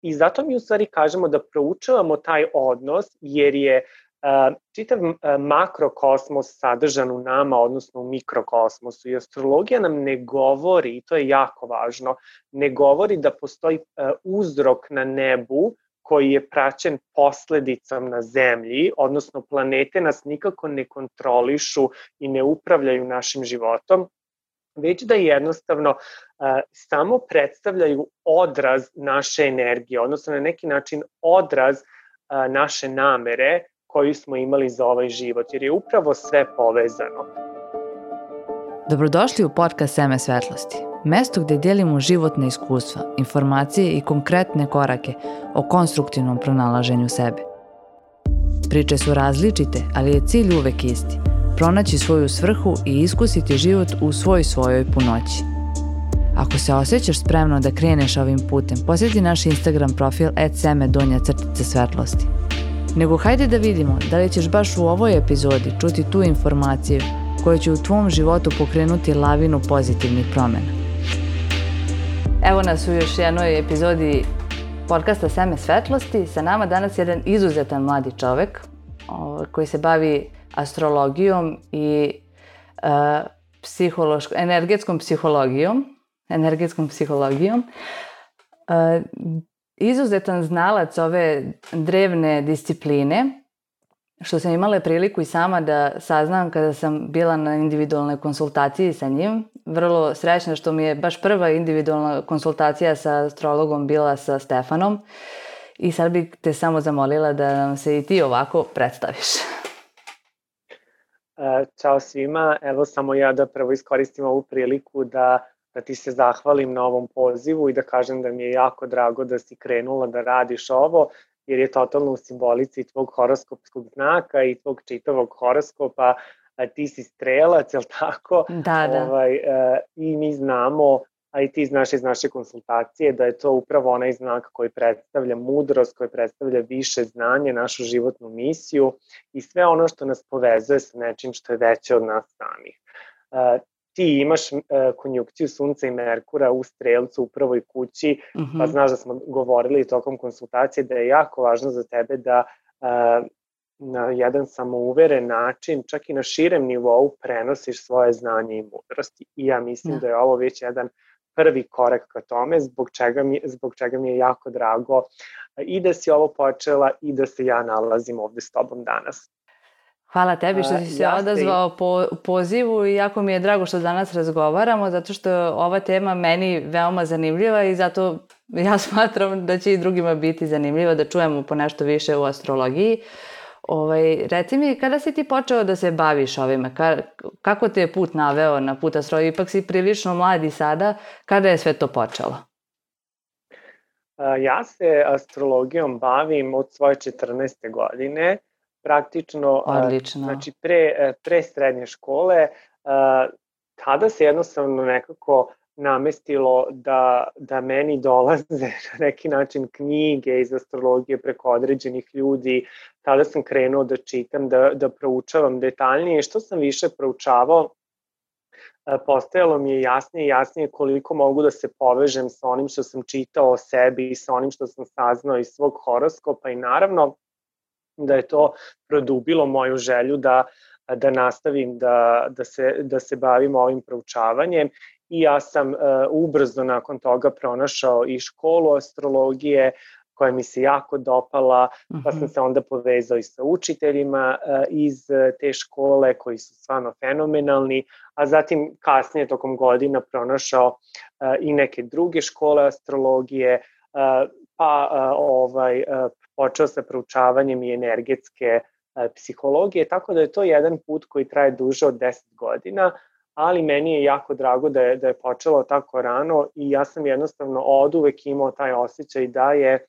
I zato mi u stvari kažemo da proučavamo taj odnos, jer je čitav makrokosmos sadržan u nama, odnosno u mikrokosmosu. I astrologija nam ne govori, i to je jako važno, ne govori da postoji uzrok na nebu koji je praćen posledicom na zemlji, odnosno planete nas nikako ne kontrolišu i ne upravljaju našim životom, već da jednostavno samo predstavljaju odraz naše energije, odnosno na neki način odraz naše namere koju smo imali za ovaj život, jer je upravo sve povezano. Dobrodošli u podcast Seme svetlosti, mesto gde delimo životne iskustva, informacije i konkretne korake o konstruktivnom pronalaženju sebe. Priče su različite, ali je cilj uvek isti, pronaći svoju svrhu i iskusiti život u svojoj punoći. Ako se osjećaš spremno da kreneš ovim putem, posjeti naš Instagram profil @seme_svetlosti. Nego hajde da vidimo da li ćeš baš u ovoj epizodi čuti tu informaciju koja će u tvom životu pokrenuti lavinu pozitivnih promjena. Evo nas u još jednoj epizodi podcasta Seme svetlosti. Sa nama danas je jedan izuzetan mladi čovek koji se bavi astrologijom i energetskom psihologijom. Izuzetan znalac ove drevne discipline, što sam imala priliku i sama da saznam kada sam bila na individualnoj konsultaciji sa njim. Vrlo srećna što mi je baš prva individualna konsultacija sa astrologom bila sa Stefanom. I sad bih te samo zamolila da nam se i ti ovako predstaviš. Ćao svima, evo samo ja da prvo iskoristim ovu priliku da ti se zahvalim na ovom pozivu i da kažem da mi je jako drago da si krenula da radiš ovo, jer je totalno u simbolici tvog horoskopskog znaka i tvog čitavog horoskopa. Ti si strelac, jel tako? Da. I mi znamo, a i ti znaš iz naše konsultacije, da je to upravo onaj znak koji predstavlja mudrost, koji predstavlja više znanje, našu životnu misiju i sve ono što nas povezuje sa nečim što je veće od nas samih. Ti imaš konjunkciju Sunca i Merkura u Strelcu u prvoj kući, pa znaš da smo govorili tokom konsultacije da je jako važno za tebe da na jedan samouveren način, čak i na širem nivou, prenosiš svoje znanje i mudrosti. I ja mislim da je ovo već jedan prvi korak ka tome, zbog čega mi je jako drago i da si ovo počela i da se ja nalazim ovde s tobom danas. Hvala tebi što si se odazvao po pozivu i jako mi je drago što danas razgovaramo, zato što je ova tema meni veoma zanimljiva i zato ja smatram da će i drugima biti zanimljiva da čujemo po nešto više u astrologiji. Reci mi, kada si ti počeo da se baviš ovime? Kako te je put naveo na put astrologije? Ipak si prilično mladi sada. Kada je sve to počelo? Ja se astrologijom bavim od svoje 14. godine. Praktično, znači pre srednje škole, tada se jednostavno nekako namestilo da meni dolaze na neki način knjige iz astrologije preko određenih ljudi. Tada sam krenuo da čitam, da proučavam detaljnije. Što sam više proučavao, postajalo mi je jasnije i jasnije koliko mogu da se povežem sa onim što sam čitao o sebi i sa onim što sam saznao iz svog horoskopa i naravno da je to produbilo moju želju da nastavim da se bavim ovim proučavanjem i ja sam ubrzo nakon toga pronašao i školu astrologije koja mi se jako dopala, pa sam se onda povezao i sa učiteljima iz te škole koji su stvarno fenomenalni, a zatim kasnije tokom godina pronašao i neke druge škole astrologije, počeo sa proučavanjem i energetske psihologije, tako da je to jedan put koji traje duže od 10 godina, ali meni je jako drago da je počelo tako rano i ja sam jednostavno oduvek imao taj osjećaj da je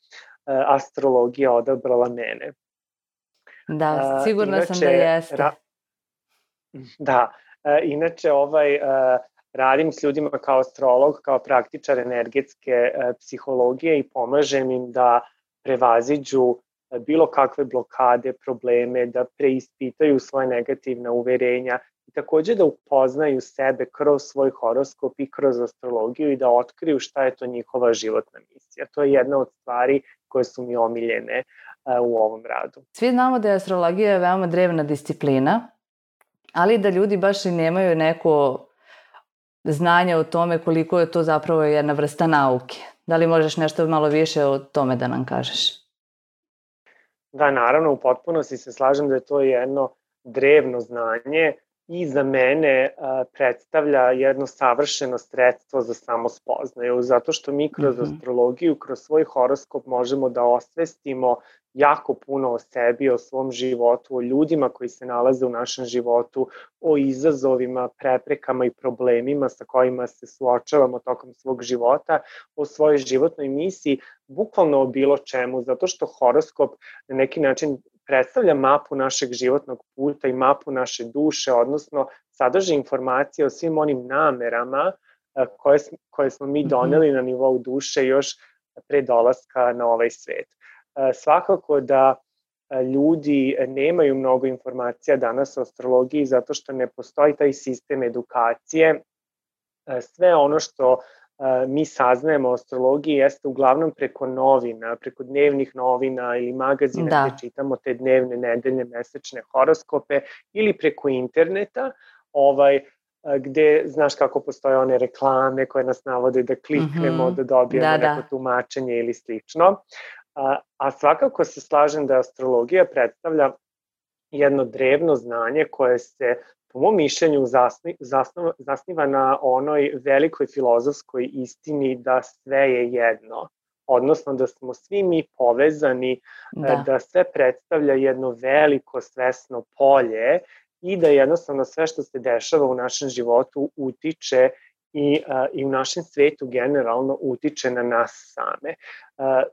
astrologija odabrala mene. Da, sigurna sam da jeste. Inače radim s ljudima kao astrolog, kao praktičar energetske psihologije i pomažem im da prevaziđu bilo kakve blokade, probleme, da preispitaju svoje negativna uverenja i takođe da upoznaju sebe kroz svoj horoskop i kroz astrologiju i da otkriju šta je to njihova životna misija. To je jedna od stvari koje su mi omiljene u ovom radu. Svi znamo da je astrologija veoma drevna disciplina, ali da ljudi baš i nemaju neko znanje o tome koliko je to zapravo jedna vrsta nauke. Da li možeš nešto malo više o tome da nam kažeš? Da, naravno, u potpunosti se slažem da je to jedno drevno znanje i za mene predstavlja jedno savršeno sredstvo za samospoznaju, zato što mi kroz astrologiju, kroz svoj horoskop možemo da osvestimo jako puno o sebi, o svom životu, o ljudima koji se nalaze u našem životu, o izazovima, preprekama i problemima sa kojima se suočavamo tokom svog života, o svojoj životnoj misiji, bukvalno o bilo čemu, zato što horoskop na neki način predstavlja mapu našeg životnog puta i mapu naše duše, odnosno sadrži informacije o svim onim namerama koje smo mi doneli na nivou duše još pre dolaska na ovaj svet. Svakako da ljudi nemaju mnogo informacija danas o astrologiji zato što ne postoji taj sistem edukacije. Sve ono što mi saznajemo o astrologiji jeste uglavnom preko novina, preko dnevnih novina ili magazina gde čitamo te dnevne, nedeljne, mesečne horoskope ili preko interneta, gde znaš kako postoje one reklame koje nas navode da kliknemo, da dobijemo neko tumačenje ili slično. A svakako se slažem da astrologija predstavlja jedno drevno znanje koje se, po mom mišljenju, zasniva na onoj velikoj filozofskoj istini da sve je jedno. Odnosno da smo svi mi povezani, da sve predstavlja jedno veliko svesno polje i da jednostavno sve što se dešava u našem životu utiče i u našem svetu generalno utiče na nas same.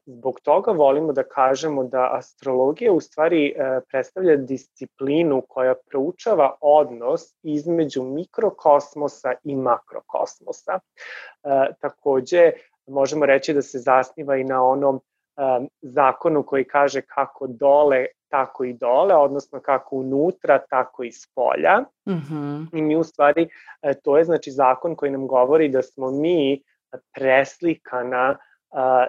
Zbog toga volimo da kažemo da astrologija u stvari predstavlja disciplinu koja proučava odnos između mikrokosmosa i makrokosmosa. Takođe, možemo reći da se zasniva i na onom zakonu koji kaže kako dole, tako i dole, odnosno kako unutra, tako i spolja. I mi u stvari, to je znači zakon koji nam govori da smo mi preslikana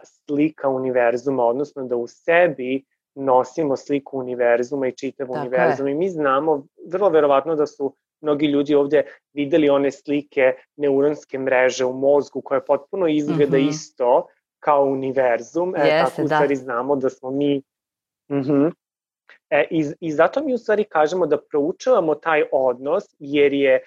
slika univerzuma, odnosno da u sebi nosimo sliku univerzuma i čitav univerzum. I mi znamo, vrlo verovatno da su mnogi ljudi ovde videli one slike neuronske mreže u mozgu koja potpuno izgleda isto kao univerzum. Tako u stvari znamo da smo mi... I zato mi u stvari kažemo da proučavamo taj odnos jer je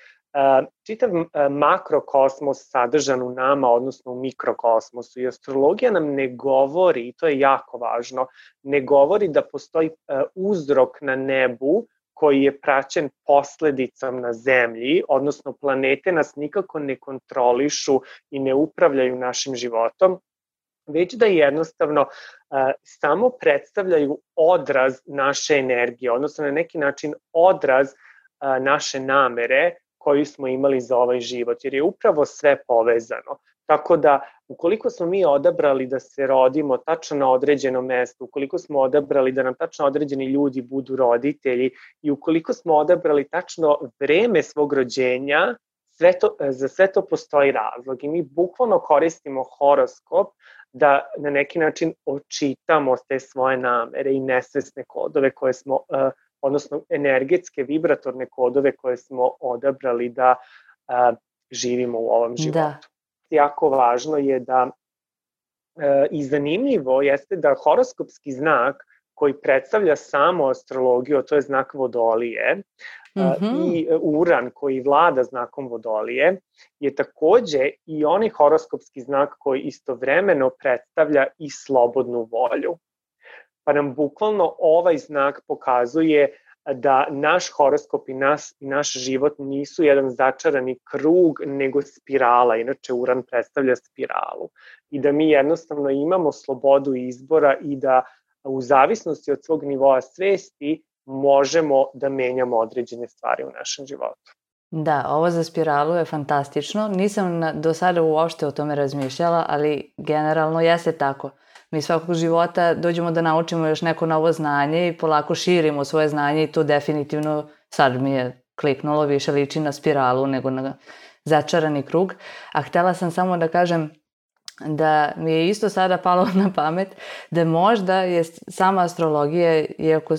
čitav makrokosmos sadržan u nama, odnosno u mikrokosmosu. I astrologija nam ne govori, i to je jako važno, ne govori da postoji uzrok na nebu koji je praćen posledicom na zemlji, odnosno planete nas nikako ne kontrolišu i ne upravljaju našim životom, već da jednostavno samo predstavljaju odraz naše energije, odnosno na neki način odraz naše namere koju smo imali za ovaj život, jer je upravo sve povezano. Tako da, ukoliko smo mi odabrali da se rodimo tačno na određeno mesto, ukoliko smo odabrali da nam tačno određeni ljudi budu roditelji i ukoliko smo odabrali tačno vreme svog rođenja, za sve to postoji razlog i mi bukvalno koristimo horoskop da na neki način očitamo te svoje namere i nesvesne kodove koje smo, odnosno energetske, vibratorne kodove koje smo odabrali da živimo u ovom životu. Jako važno je da i zanimljivo jeste da horoskopski znak koji predstavlja samo astrologiju, to je znak Vodolije, i Uran koji vlada znakom Vodolije, je takođe i onaj horoskopski znak koji istovremeno predstavlja i slobodnu volju. Pa nam bukvalno ovaj znak pokazuje da naš horoskop i naš život nisu jedan začarani krug, nego spirala. Inače, Uran predstavlja spiralu. I da mi jednostavno imamo slobodu izbora i da u zavisnosti od svog nivoa svesti možemo da menjamo određene stvari u našem životu. Da, ovo za spiralu je fantastično. Nisam do sada uopšte o tome razmišljala, ali generalno jeste tako. Mi svakog života dođemo da naučimo još neko novo znanje i polako širimo svoje znanje i to definitivno sad mi je kliknulo, više liči na spiralu nego na začarani krug. A htela sam samo da kažem da mi je isto sada palo na pamet da možda je sama astrologija, iako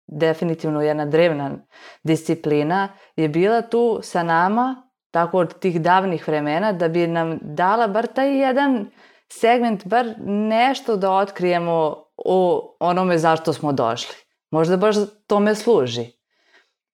definitivno jedna drevna disciplina, je bila tu sa nama tako od tih davnih vremena da bi nam dala bar taj jedan segment, bar nešto da otkrijemo o onome zašto smo došli. Možda baš tome služi.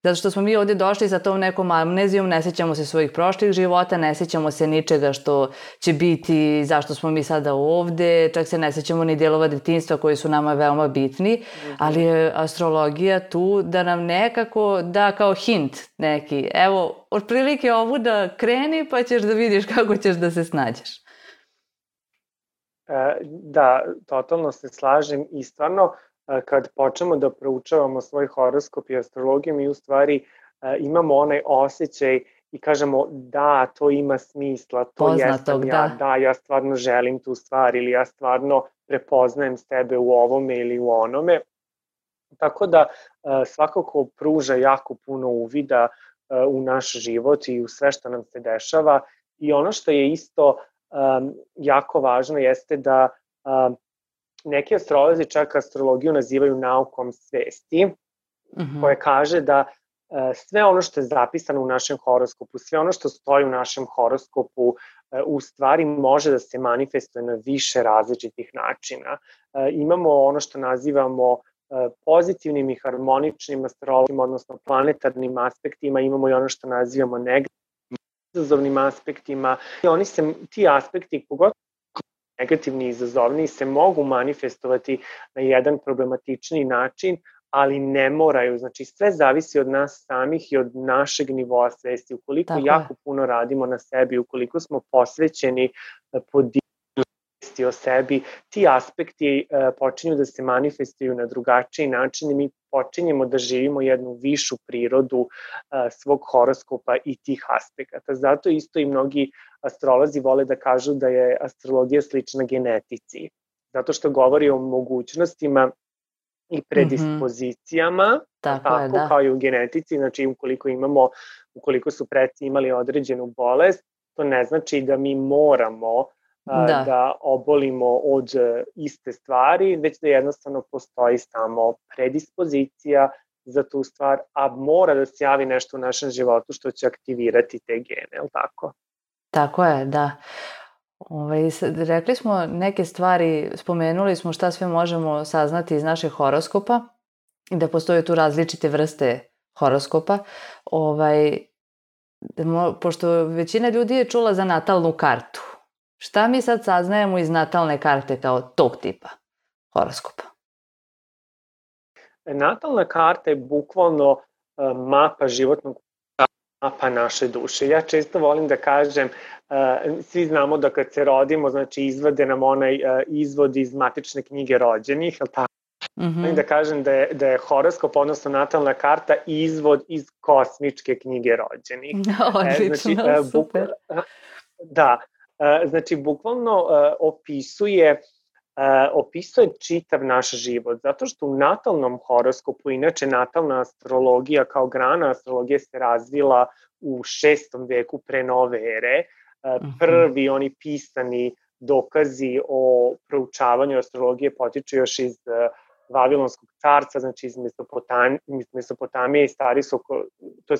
Zato što smo mi ovdje došli sa tom nekom amnezijom, ne sjećamo se svojih prošlih života, ne sjećamo se ničega što će biti, zašto smo mi sada ovdje, čak se ne sjećamo ni dijelova detinjstva koji su nama veoma bitni, ali je astrologija tu da nam nekako da kao hint neki. Evo, otprilike ovuda kreni pa ćeš da vidiš kako ćeš da se snađeš. Da, totalno se slažem i stvarno kad počnemo da proučavamo svoj horoskop i astrologiju, mi u stvari imamo onaj osjećaj i kažemo da, to ima smisla, to jesam ja, da, ja stvarno želim tu stvar ili ja stvarno prepoznajem sebe u ovome ili u onome. Tako da svakako pruža jako puno uvida u naš život i u sve što nam se dešava. I ono što je isto jako važno jeste da neki astrolozi čak astrologiju nazivaju naukom svesti, koje kaže da sve ono što je zapisano u našem horoskopu, sve ono što stoji u našem horoskopu u stvari može da se manifestuje na više različitih načina. Imamo ono što nazivamo pozitivnim i harmoničnim astrologijama, odnosno planetarnim aspektima, imamo i ono što nazivamo negativnim izazovnim aspektima. I ti aspekti, pogotovo negativni i izazovni, se mogu manifestovati na jedan problematični način, ali ne moraju. Znači, sve zavisi od nas samih i od našeg nivoa svesti. Ukoliko jako puno radimo na sebi, ukoliko smo posvećeni svesti o sebi, ti aspekti počinju da se manifestuju na drugačiji način i mi počinjemo da živimo jednu višu prirodu svog horoskopa i tih aspekata. Zato isto i mnogi astrolozi vole da kažu da je astrologija slična genetici, zato što govori o mogućnostima i predispozicijama, kao i u genetici. Znači, ukoliko su preci imali određenu bolest, to ne znači da mi moramo da obolimo od iste stvari, već da jednostavno postoji samo predispozicija za tu stvar, a mora da se javi nešto u našem životu što će aktivirati te gene, je li tako? Tako je, da. Rekli smo neke stvari, spomenuli smo šta sve možemo saznati iz našeg horoskopa i da postoje tu različite vrste horoskopa. Pošto većina ljudi je čula za natalnu kartu, šta mi sad saznajemo iz natalne karte kao tog tipa horoskopa? Natalna karta je bukvalno mapa životnog, mapa naše duše. Ja često volim da kažem, svi znamo da kad se rodimo, znači izvade nam onaj izvod iz matične knjige rođenih, ali tako? Volim da kažem da je horoskop, odnosno natalna karta, izvod iz kosmičke knjige rođenih. Odlično, super. Da, znači bukvalno opisuje čitav naš život, zato što u natalnom horoskopu, inače natalna astrologija kao grana astrologije se razvila u 6. veku pre nove ere. Prvi oni pisani dokazi o proučavanju astrologije potiču još iz Vavilonskog carstva, znači iz Mesopotamije i stari su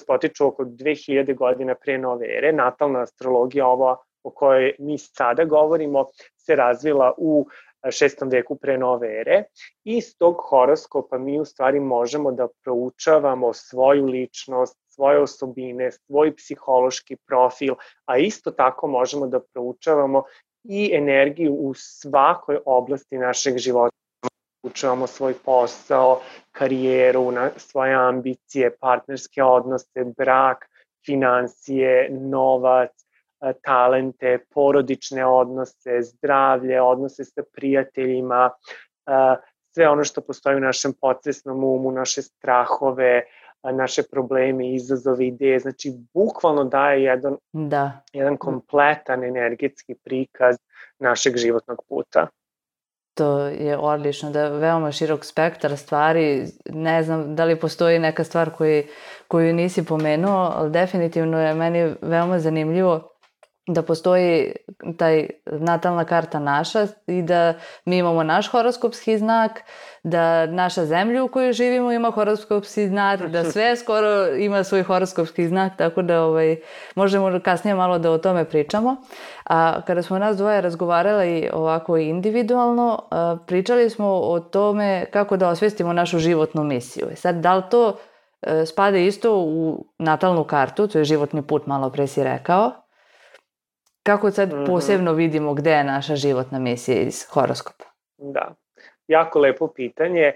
potiču oko 2000 godina pre nove ere. Natalna astrologija, ova o kojoj mi sada govorimo, se razvila u 6. veku pre nove ere. Iz tog horoskopa mi u stvari možemo da proučavamo svoju ličnost, svoje osobine, svoj psihološki profil, a isto tako možemo da proučavamo i energiju u svakoj oblasti našeg života. Proučavamo svoj posao, karijeru, svoje ambicije, partnerske odnose, brak, finansije, novac, talente, porodične odnose, zdravlje, odnose sa prijateljima, sve ono što postoji u našem podsvesnom umu, naše strahove, naše probleme, izazove, ideje. Znači, bukvalno daje jedan kompletan energetski prikaz našeg životnog puta. To je odlično, da je veoma širok spektar stvari. Ne znam da li postoji neka stvar koju nisi pomenuo, ali definitivno je meni veoma zanimljivo da postoji taj natalna karta naša i da mi imamo naš horoskopski znak, da naša zemlja u kojoj živimo ima horoskopski znak, da sve skoro ima svoj horoskopski znak, tako da možemo kasnije malo da o tome pričamo. A kada smo nas dvoje razgovarali ovako individualno, pričali smo o tome kako da osvestimo našu životnu misiju. Sad, da li to spada isto u natalnu kartu, to je životni put, malo pre si rekao, kako sad posebno vidimo gde je naša životna misija iz horoskopa? Da, jako lepo pitanje.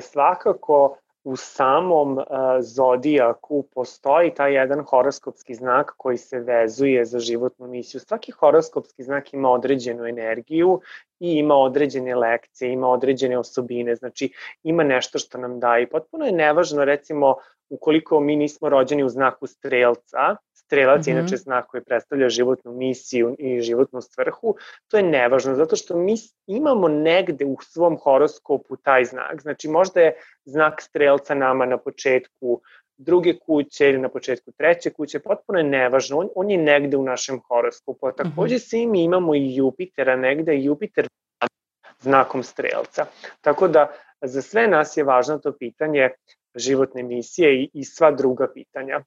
Svakako u samom zodijaku postoji taj jedan horoskopski znak koji se vezuje za životnu misiju. Svaki horoskopski znak ima određenu energiju i ima određene lekcije, ima određene osobine, znači ima nešto što nam daje. Potpuno je nevažno, recimo, ukoliko mi nismo rođeni u znaku strelca, strelac je inače znak koji predstavlja životnu misiju i životnu svrhu, to je nevažno, zato što mi imamo negde u svom horoskopu taj znak. Znači možda je znak strelca nama na početku druge kuće ili na početku treće kuće, potpuno je nevažno, on je negde u našem horoskopu. A takođe svi mi imamo i Jupitera negde, i Jupiter znakom strelca. Tako da za sve nas je važno to pitanje životne misije i sva druga pitanja.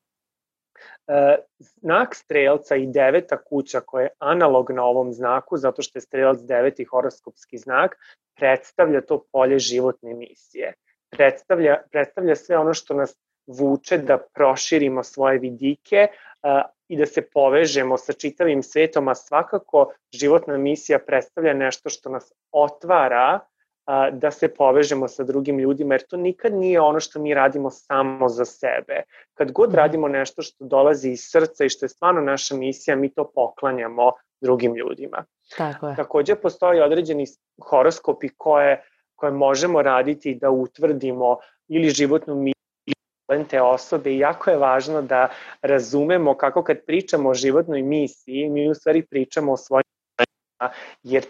Znak strelca i 9. kuća koja je analogna ovom znaku, zato što je strelac 9. horoskopski znak, predstavlja to polje životne misije. Predstavlja sve ono što nas vuče da proširimo svoje vidike i da se povežemo sa čitavim svetom, a svakako životna misija predstavlja nešto što nas otvara da se povežemo sa drugim ljudima, jer to nikad nije ono što mi radimo samo za sebe. Kad god radimo nešto što dolazi iz srca i što je stvarno naša misija, mi to poklanjamo drugim ljudima. Tako je. Takođe postoji određeni horoskopi koje možemo raditi da utvrdimo ili životnu misiju te osobe i jako je važno da razumemo kako kad pričamo o životnoj misiji, mi u stvari pričamo o svojim jer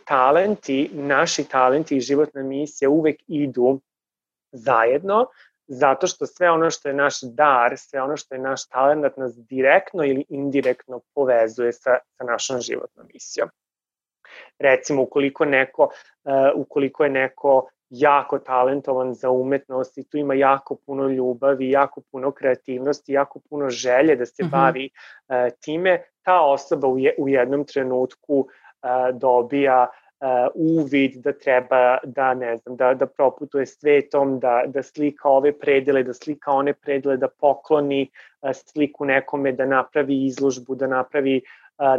naši talenti i životna misija uvek idu zajedno, zato što sve ono što je naš dar, sve ono što je naš talent nas direktno ili indirektno povezuje sa našom životnom misijom. Recimo, ukoliko je neko jako talentovan za umetnost i tu ima jako puno ljubavi, jako puno kreativnosti, jako puno želje da se bavi time, ta osoba u jednom trenutku dobija uvid da treba da proputuje svetom, da slika ove predele, da slika one predele, da pokloni sliku nekome, da napravi izložbu, da napravi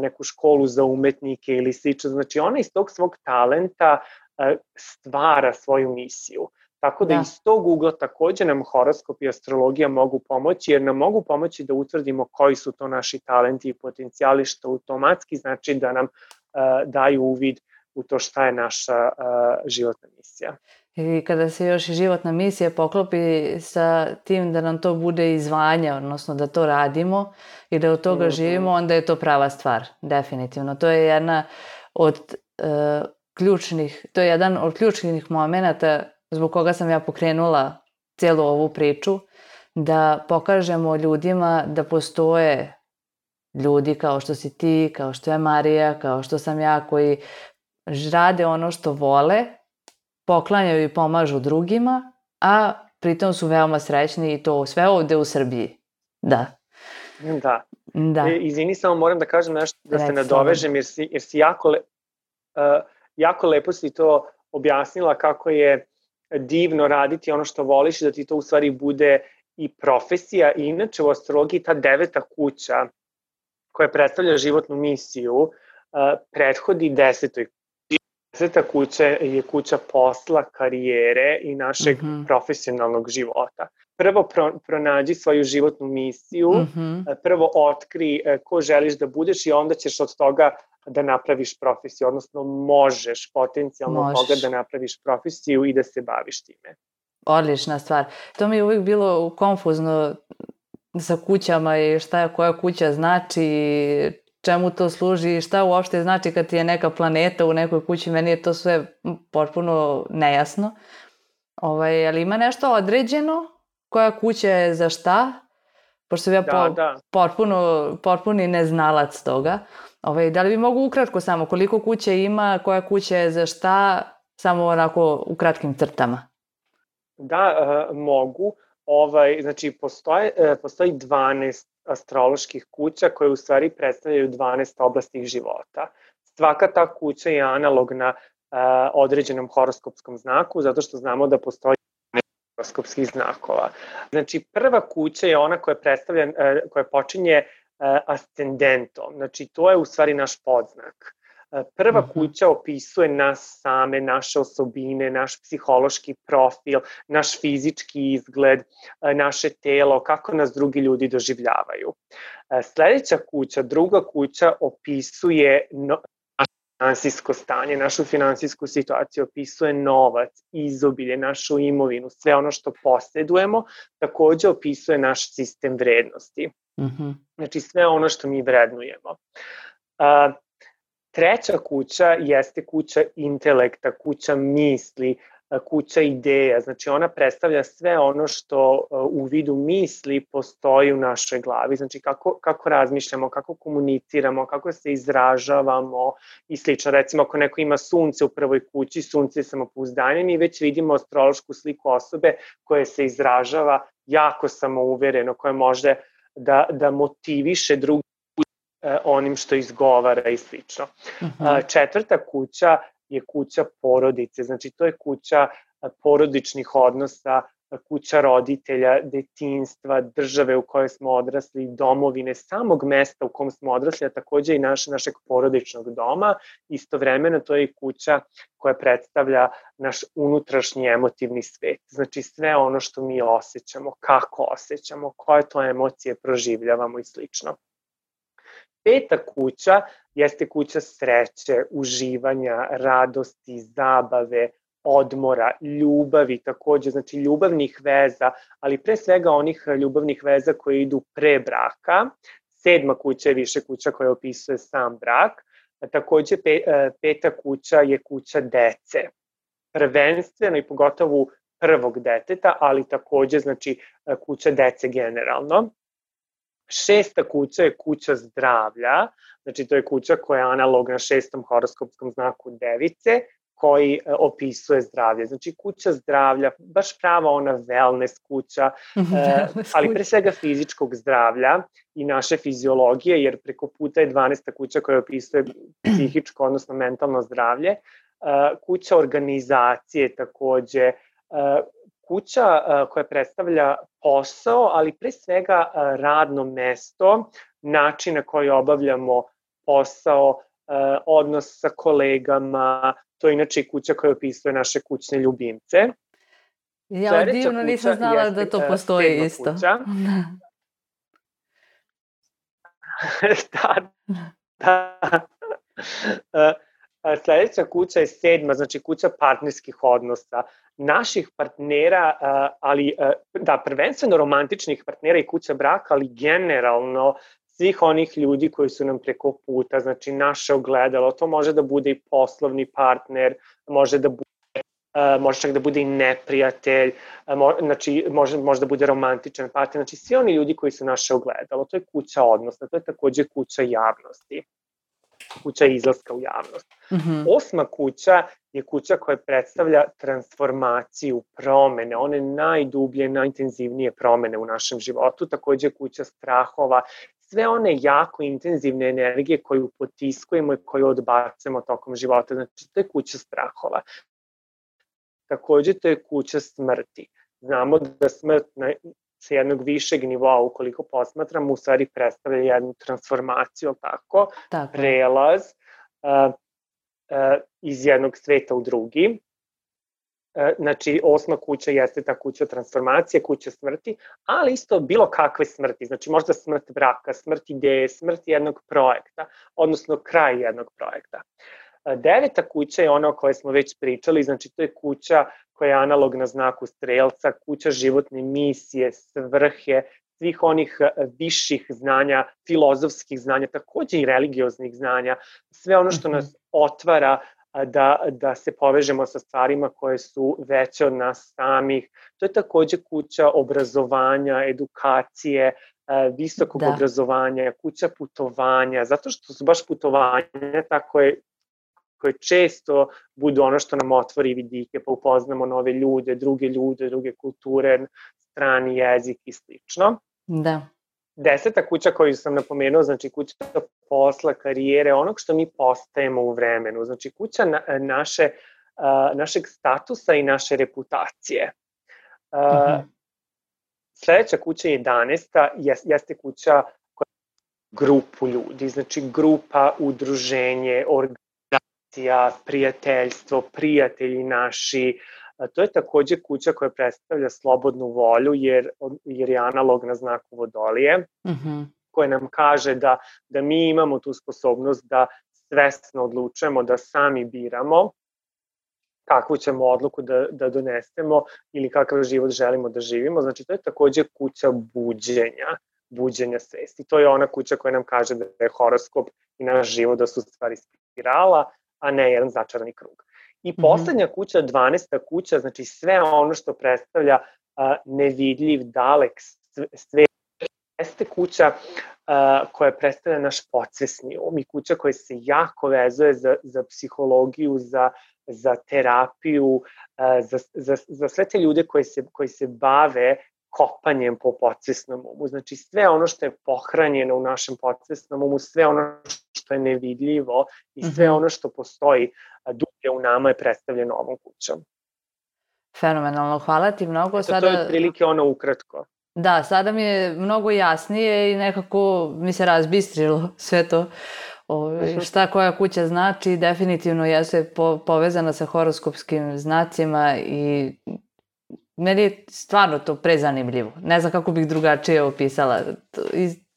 neku školu za umetnike ili slično. Znači ona iz tog svog talenta stvara svoju misiju. Tako da iz tog ugla takođe nam horoskop i astrologija mogu pomoći, jer nam mogu pomoći da utvrdimo koji su to naši talenti i potencijali, što automatski znači da nam daju uvid u to šta je naša životna misija. I kada se još i životna misija poklopi sa tim da nam to bude i zvanje, odnosno da to radimo i da od toga živimo, onda je to prava stvar, definitivno. To je jedan od ključnih momenata zbog koga sam ja pokrenula cijelu ovu priču, da pokažemo ljudima da postoje ljudi kao što si ti, kao što je Marija, kao što sam ja, koji rade ono što vole, poklanjaju i pomažu drugima, a pritom su veoma srećni i to sve ovde u Srbiji. Da. Izvini, samo moram da kažem nešto, da se nadovežem, jer si jako lepo si to objasnila kako je divno raditi ono što voliš i da ti to u stvari bude i profesija. I inače u astrologiji ta 9. kuća koja predstavlja životnu misiju prethodi 10. 10. kuća je kuća posla, karijere i našeg profesionalnog života. Prvo pronađi svoju životnu misiju, prvo otkri ko želiš da budeš i onda ćeš od toga da napraviš profesiju, odnosno možeš potencijalno toga da napraviš profesiju i da se baviš time. Odlična stvar. To mi je uvijek bilo konfuzno sa kućama i koja kuća znači, čemu to služi, šta uopšte znači kad ti je neka planeta u nekoj kući, meni je to sve potpuno nejasno. Ali ima nešto određeno, koja kuća je za šta, pošto sam ja potpuni neznalac toga. Da li bi mogu ukratko samo koliko kuća ima, koja kuća je za šta, samo onako u kratkim crtama? Da, mogu. Znači, postoji 12 astroloških kuća koje u stvari predstavljaju 12 oblasti života. Svaka ta kuća je analogna određenom horoskopskom znaku, zato što znamo da postoji 12 horoskopskih znakova. Znači, prva kuća je ona koja počinje ascendentom, znači to je u stvari naš podznak. Prva kuća opisuje nas same, naše osobine, naš psihološki profil, naš fizički izgled, naše telo, kako nas drugi ljudi doživljavaju. Sledeća kuća, druga kuća, opisuje naše finansijsko stanje, našu finansijsku situaciju, opisuje novac, izobilje, našu imovinu, sve ono što posjedujemo, takođe opisuje naš sistem vrednosti. Znači sve ono što mi vrednujemo. Treća kuća jeste kuća intelekta, kuća misli, kuća ideja, znači ona predstavlja sve ono što u vidu misli postoji u našoj glavi, znači kako razmišljamo, kako komuniciramo, kako se izražavamo i slično. Recimo ako neko ima sunce u prvoj kući, sunce je samopouzdanje, mi već vidimo astrološku sliku osobe koja se izražava jako samouvereno, koja može da motiviše drugi onim što izgovara i slično. Četvrta kuća je kuća porodice, znači to je kuća porodičnih odnosa, kuća roditelja, detinjstva, države u kojoj smo odrasli, domovine, samog mesta u kom smo odrasli, a takođe i našeg porodičnog doma. Istovremeno to je i kuća koja predstavlja naš unutrašnji emotivni svet, znači sve ono što mi osjećamo, kako osjećamo, koje to emocije proživljavamo i slično. Peta kuća jeste kuća sreće, uživanja, radosti, zabave, odmora, ljubavi takođe, znači ljubavnih veza, ali pre svega onih ljubavnih veza koje idu pre braka. Sedma kuća je više kuća koja opisuje sam brak. Takođe peta kuća je kuća dece. Prvenstveno i pogotovo prvog deteta, ali takođe znači kuća dece generalno. Šesta kuća je kuća zdravlja, znači to je kuća koja je analogna šestom horoskopskom znaku device, koji opisuje zdravlje. Znači kuća zdravlja, baš prava ona wellness kuća, ali pre svega fizičkog zdravlja i naše fiziologije, jer preko puta je 12. kuća koja opisuje psihičko, odnosno mentalno zdravlje. Kuća organizacije takođe, kuća koja predstavlja posao, ali pre svega radno mesto, način na koji obavljamo posao, odnos sa kolegama, to je inače i kuća koja opisuje naše kućne ljubimce. Ja divno nisam znala da to postoji isto. Da. Sledeća kuća je sedma, znači kuća partnerskih odnosa, naših partnera, ali da, prvenstveno romantičnih partnera i kuća braka, ali generalno svih onih ljudi koji su nam preko puta, znači naše ogledalo, to može da bude i poslovni partner, može čak da bude i neprijatelj, znači može da bude romantičan partner, znači svi oni ljudi koji su naše ogledalo, to je kuća odnosa, to je takođe kuća javnosti, kuća izlaska u javnost. Osma kuća je kuća koja predstavlja transformaciju, promene, one najdublje, najintenzivnije promene u našem životu, takođe kuća strahova, sve one jako intenzivne energije koju potiskujemo i koju odbacujemo tokom života, znači to je kuća strahova. Takođe to je kuća smrti. Znamo da smrt sa jednog višeg nivoa, ukoliko posmatramo, u stvari predstavlja jednu transformaciju, tako, prelaz iz jednog sveta u drugi. Znači, osma kuća jeste ta kuća transformacije, kuća smrti, ali isto bilo kakve smrti, znači možda smrt braka, smrt ideje, smrt jednog projekta, odnosno kraj jednog projekta. Deveta kuća je ona o kojoj smo već pričali, znači to je kuća koja je analogna znaku strelca, kuća životne misije, svrhe, svih onih viših znanja, filozofskih znanja, takođe i religioznih znanja, sve ono što nas otvara da se povežemo sa stvarima koje su veće od nas samih. To je takođe kuća obrazovanja, edukacije, visokog obrazovanja, kuća putovanja, zato što su baš putovanja koje često budu ono što nam otvori vidike, pa upoznamo nove ljude, druge kulture, strani jezik i slično. Da. 10. kuća koju sam napomenuo, znači kuća posla, karijere, onog što mi postajemo u vremenu, znači kuća našeg statusa i naše reputacije. Sledeća kuća 11. jeste kuća koja grupu ljudi, znači grupa, udruženje, organizacija, prijateljstvo, prijatelji naši. To je takođe kuća koja predstavlja slobodnu volju, jer je analogna znaku Vodolije, koja nam kaže da mi imamo tu sposobnost da svesno odlučujemo, da sami biramo kakvu ćemo odluku da donesemo ili kakav život želimo da živimo. Znači, to je takođe kuća buđenja svesti. To je ona kuća koja nam kaže da je horoskop i naš život da su stvari spirala, a ne jedan začarani krug. I poslednja kuća, 12. kuća, znači sve ono što predstavlja nevidljiv, dalek svet, jeste kuća koja predstavlja naš podsvesni um i kuća koja se jako vezuje za psihologiju, za terapiju, za sve te ljude koji se bave kopanjem po podsvesnom umu. Znači sve ono što je pohranjeno u našem podsvesnom umu, sve ono što je nevidljivo i sve ono što postoji dublje u nama je predstavljeno ovom kućom. Fenomenalno, hvala ti mnogo. To je otprilike ono ukratko. Da, sada mi je mnogo jasnije i nekako mi se razbistrilo sve to. Šta koja kuća znači, definitivno jeste povezana sa horoskopskim znacima i meni je stvarno to prezanimljivo. Ne znam kako bih drugačije opisala.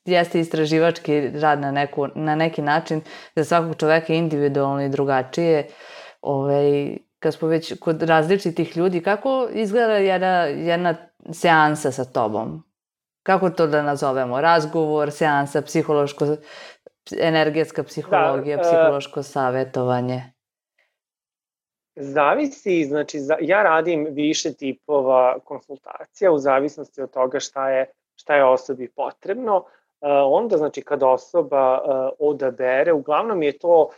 Jeste istraživački rad na neki način, za svakog čoveka individualno i drugačije. Kad smo već kod različitih ljudi, kako izgleda jedna seansa sa tobom? Kako to da nazovemo? Razgovor, seansa, energetska psihologija, psihološko savjetovanje? Zavisi, znači ja radim više tipova konsultacija u zavisnosti od toga šta je osobi potrebno. Onda, znači, kada osoba odabere, uglavnom je to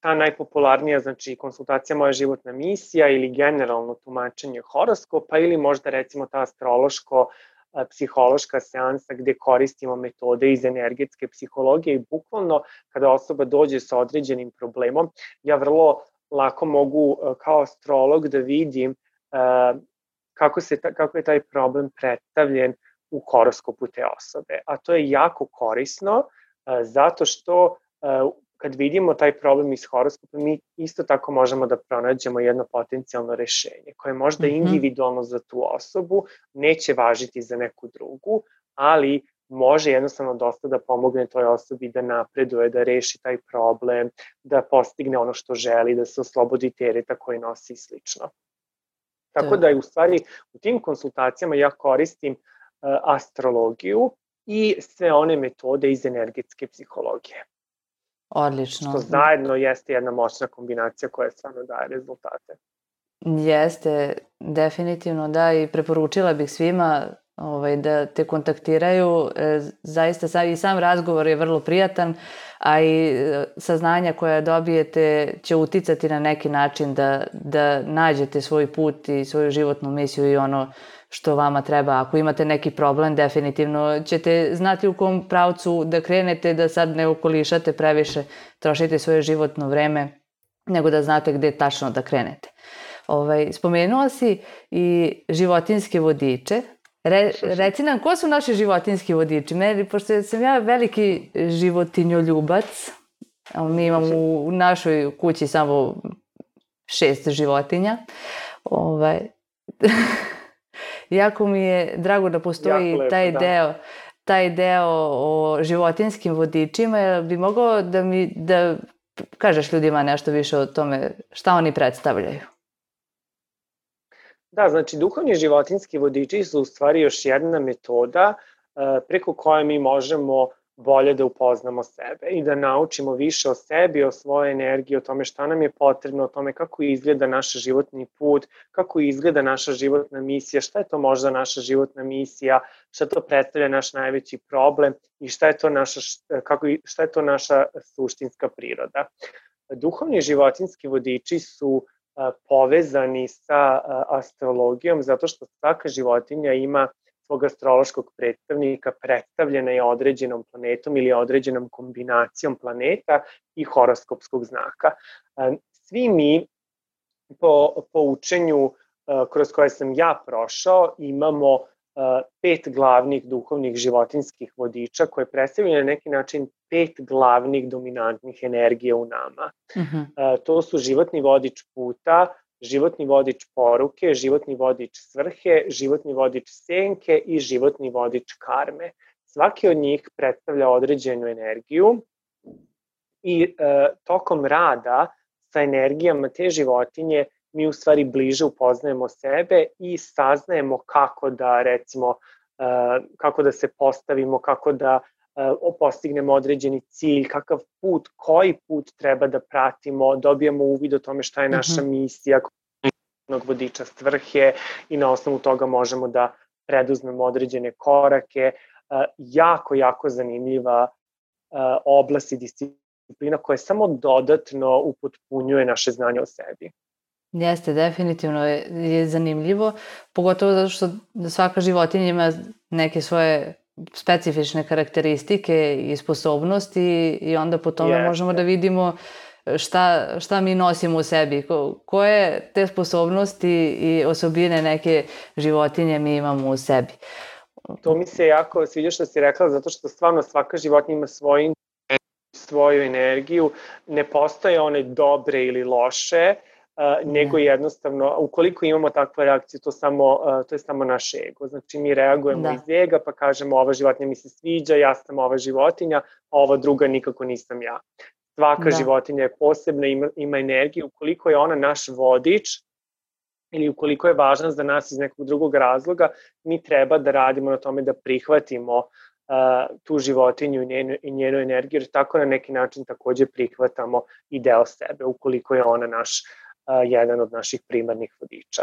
ta najpopularnija, znači, konsultacija Moja životna misija ili generalno tumačenje horoskopa ili možda recimo ta astrološko-psihološka seansa gde koristimo metode iz energetske psihologije i bukvalno kada osoba dođe sa određenim problemom, ja vrlo lako mogu kao astrolog da vidim kako je taj problem predstavljen u horoskopu te osobe. A to je jako korisno zato što kad vidimo taj problem iz horoskopa, mi isto tako možemo da pronađemo jedno potencijalno rešenje koje je možda individualno za tu osobu, neće važiti za neku drugu, ali može jednostavno dosta da pomogne toj osobi da napreduje, da reši taj problem, da postigne ono što želi, da se oslobodi tereta koji nosi i slično. Tako da u stvari u tim konsultacijama ja koristim astrologiju i sve one metode iz energetske psihologije. Odlično. Što zajedno jeste jedna moćna kombinacija koja stvarno daje rezultate. Jeste, definitivno da, i preporučila bih svima da te kontaktiraju. Zaista i sam razgovor je vrlo prijatan, a i saznanja koja dobijete će uticati na neki način da nađete svoj put i svoju životnu misiju i ono što vama treba. Ako imate neki problem, definitivno ćete znati u kom pravcu da krenete, da sad ne okolišate previše, trošite svoje životno vreme, nego da znate gde tačno da krenete. Spomenula si i životinjske vodiče. Reci nam, ko su naši životinjski vodiči? Pošto sam ja veliki životinjoljubac, mi imamo u našoj kući samo 6 životinja. Jako mi je drago da postoji taj deo o životinjskim vodičima. Jel bi mogao da kažeš ljudima nešto više o tome šta oni predstavljaju? Da, znači duhovni životinjski vodiči su u stvari još jedna metoda preko koje mi možemo bolje da upoznamo sebe i da naučimo više o sebi, o svojoj energiji, o tome šta nam je potrebno, o tome kako izgleda naš životni put, kako izgleda naša životna misija, šta je to možda naša životna misija, šta to predstavlja naš najveći problem i šta je to naša suštinska priroda. Duhovni životinjski vodiči su povezani sa astrologijom zato što svaka životinja ima svog astrološkog predstavnika, predstavljena je određenom planetom ili određenom kombinacijom planeta i horoskopskog znaka. Svi mi po učenju kroz koje sam ja prošao imamo 5 glavnih duhovnih životinjskih vodiča koje predstavljaju na neki način 5 glavnih dominantnih energija u nama. To su životni vodič puta, životni vodič poruke, životni vodič svrhe, životni vodič senke i životni vodič karme. Svaki od njih predstavlja određenu energiju i tokom rada sa energijama te životinje mi u stvari bliže upoznajemo sebe i saznajemo kako da, recimo, kako da se postavimo, kako da postignemo određeni cilj, kakav put, koji put treba da pratimo, dobijamo uvid o tome šta je naša misija, vodiča svrhe i na osnovu toga možemo da preduzmemo određene korake. Jako zanimljiva oblast i disciplina koja samo dodatno upotpunjuje naše znanje o sebi. Jeste, definitivno je zanimljivo, pogotovo zato što svaka životinja ima neke svoje specifične karakteristike i sposobnosti i onda po tome možemo da vidimo šta mi nosimo u sebi, koje te sposobnosti i osobine neke životinje mi imamo u sebi. To mi se jako sviđa što si rekla, zato što stvarno svaka životinja ima svoju energiju, ne postoje one dobre ili loše, nego jednostavno, ukoliko imamo takvu reakciju, to je samo naš ego. Znači, mi reagujemo iz ega, pa kažemo ova životinja mi se sviđa, ja sam ova životinja, a ova druga nikako nisam ja. Svaka životinja je posebna, ima energiju. Ukoliko je ona naš vodič ili ukoliko je važna za nas iz nekog drugog razloga, mi treba da radimo na tome da prihvatimo tu životinju i njenu energiju, jer tako na neki način takođe prihvatamo i deo sebe, ukoliko je ona jedan od naših primarnih vodiča.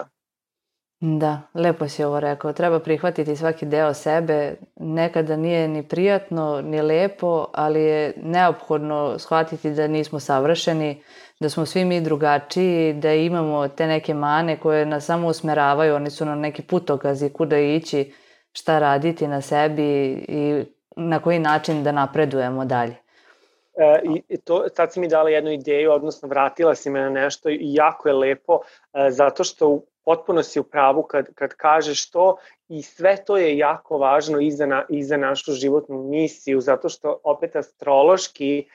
Da, lepo si ovo rekao. Treba prihvatiti svaki deo sebe. Nekada nije ni prijatno, ni lepo, ali je neophodno shvatiti da nismo savršeni, da smo svi mi drugačiji, da imamo te neke mane koje nas samo usmeravaju, oni su nam neki putokazi kuda ići, šta raditi na sebi i na koji način da napredujemo dalje. Sad si mi dala jednu ideju, odnosno vratila si me na nešto i jako je lepo, zato što potpuno si u pravu kad kažeš to i sve to je jako važno i za našu životnu misiju, zato što opet astrološki